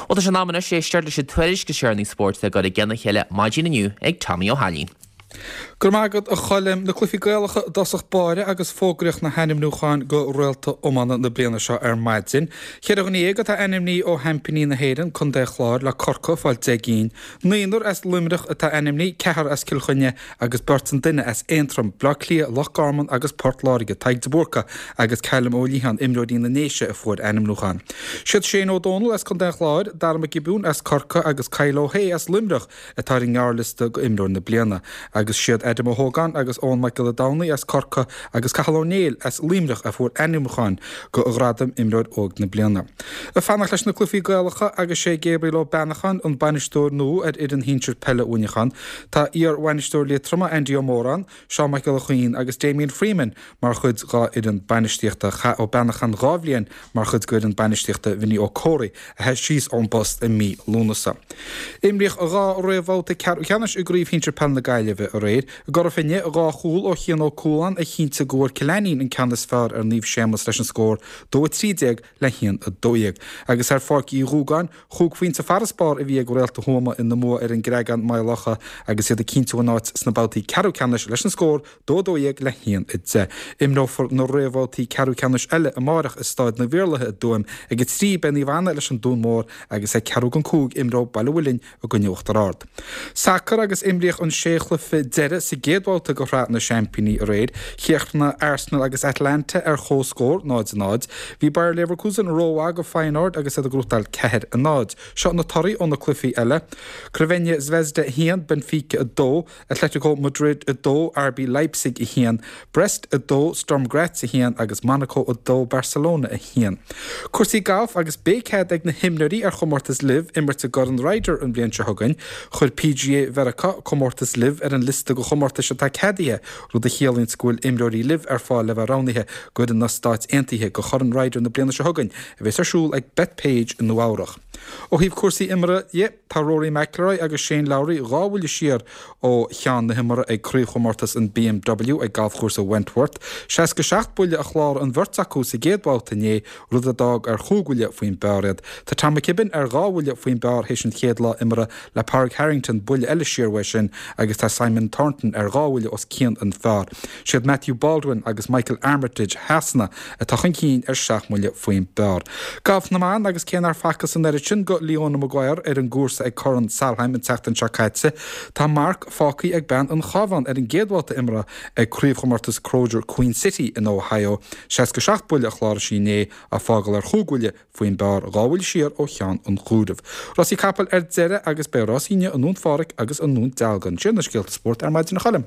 Bhuel tá sé in am anois éisteacht leis an tuairisc is deireanaí spóirt atá curtha i gcionn a chéile maidin inniu ag Tommy Ó hAilín. Go raibh maith agat a Choilm. Na cluichí Gaelacha i dtosach báire agus fógraíodh na hainmniúcháin go Réalta Iomána na bliana seo ar maidin. Cheithre dhuine dhéag atá ainmnithe ó sheaimpíní na hÉireann, Contae an Chláir, le Corcaigh ag fáil 10 gcinn. Naonúr as Luimneach atá ainmnithe, ceathrar as Cill Chainnigh agus beirt an duine as Aontroim, Bleá Cliath, Loch Garman agus Port Láirge, Tadhg de Búrca agus Callum Ó Liatháin, imreoirí na nDéise a fuair ainmniúchán. Siad Shane Ó Dónaill as Contae an Chláir, Darragh McGibbon as Corcaigh agus Kyle Ó hAodha as Luimneach atá ar an ngearrliosta go imreoir na bliana agus siad Adam Ó hÓgáin agus Eoin Mac Giolla Domhnaill as Corcaigh agus Cathal Ó Néill as Luimneach a fuair ainmniúcháin go ghradam Imreoir Óg na Bliana. Ag fanacht leis na cluichí Gaelacha agus sé Gabriel Ó Beannacháin an bainisteoir nua ar fhoireann shinsir peile Mhuineacháin. Tá iar-bhainisteoir Liatroma Andy Ó Móráin, Seán Mac Giolla Chuinn agus Damien Freeman mar chuid dhá fhoireann bainistíochta. Chaith Ó Beannacháin 2 bhliain mar chuid d'fhoireann bainistíochta Vinny Ó Comhraí, a sheas síos ón bpost i mí Lúnasa. Imríodh 2 réamhbhabhta ceathrú ceannais i gCraobh Shinsir Peile na Gaillimhe aréir. I gCora Finne, 2 chúl ó Chian Ó Cualáin a chinntigh go bhfuair Cill Ainnín an ceann is fearr ar Naomh Séamus leis an scór 2 13 le 1 12. Agus ar Pháirc Uí Dhúgáin, Chúig phointe farasbarr a bhí ag Réalta Thuama ina mbua ar an gCreagán Maigh Locha agus iad ag cinntiú a n-áit sna babhtaí ceathrú ceannais leis an scór 2 12 le 1 10. Imreofar na réamhbhabhtaí ceathrú ceannais eile amárach i Stáid na bhIarlaithe i dTuaim. Ag 3 beidh Naomh Anna leis an Dún Mór agus ag ceathrú don 5 imreoidh Baile Mhuilinn i gcoinne Uachtar Ard. Sacar agus imríodh an sé chluiche deiridh sa gcéad bhabhta de Shraith na Seaimpíní aréir. Chríochnaigh Arsenal agus Atalanta ar comhscór, 0-0. Bhí Bayer Leverkusen rómhaith do Feyenoord agus iad ag gnóthachtáil 4-0. Seo na torthaí ó na cluichí eile, Crvena Zvezda 1, Benfica 2, Atletico Madrid 2, RB Leipzig 1, Brest 2, Sturm Graz 1 agus Monaco 2, Barcelona 1. Cúrsaí gailf agus beidh cead ag na himreoirí ar chomórtas LIV imirt i gCorn Ryder an bhliain seo chugainn. Chuir PGA Mheiriceá comórtas LIV ar an liosta de chomórtais atá ceadaithe, rud a chiallaíonns go bhfuil imreoirí LIV ar fáil le bheith roghnaithe d'fhoireann na Stáit Aontaithe do Chorn Ryder na bliana seo chugainn, a bheas ar siúl ag Bethpage i Nua Eabhrach. Ó thaobh cúrsaí imeartha dhe, tá Rory McIlroy agus Shane Lowry 2 bhuille siar ó cheann na himeartha ag Craobhchomórtas an BMW ag Galfchúrsa Wentworth. 67 buille a chláraigh an bheirt acu sa gcéad bhabhta inné, rud a d'fhág ar chúig bhuille faoin bpar iad. Tá Tom McKibbin ar dhá bhuille faoin bpar théis an chéad lá imeartha le Pádraig Harrington buille eile siar uaidh sin agus tá Simon Thornton ar dhá bhuille os cionn an phar. Siad Matthew Baldwin agus Michael Armitage Shasana atá chun cinn ar sheacht mbuille faoin bpar. Galf na mban agus cé nár facthas an oiread sin go Leona Maguire ar an gcúrsa ag Corn Solheim an tseachtain seo caite, tá marc fágtha ag bean an Chabháin ar an gcéad bhabhta imeartha ag Craobhchomórtas Crozier Queen City in Ohio. 67 buille a chláraigh sí inné, á fágáil ar chúig bhuille faoin bpar, 2 bhuille siar ó cheann an chomhairimh. Rásaí capall ar deireadh agus beidh rásaí inniu i nDún Phádraig agus i nDún Dealgan. Sin na scéalta spóirt ar maidin a Choilm.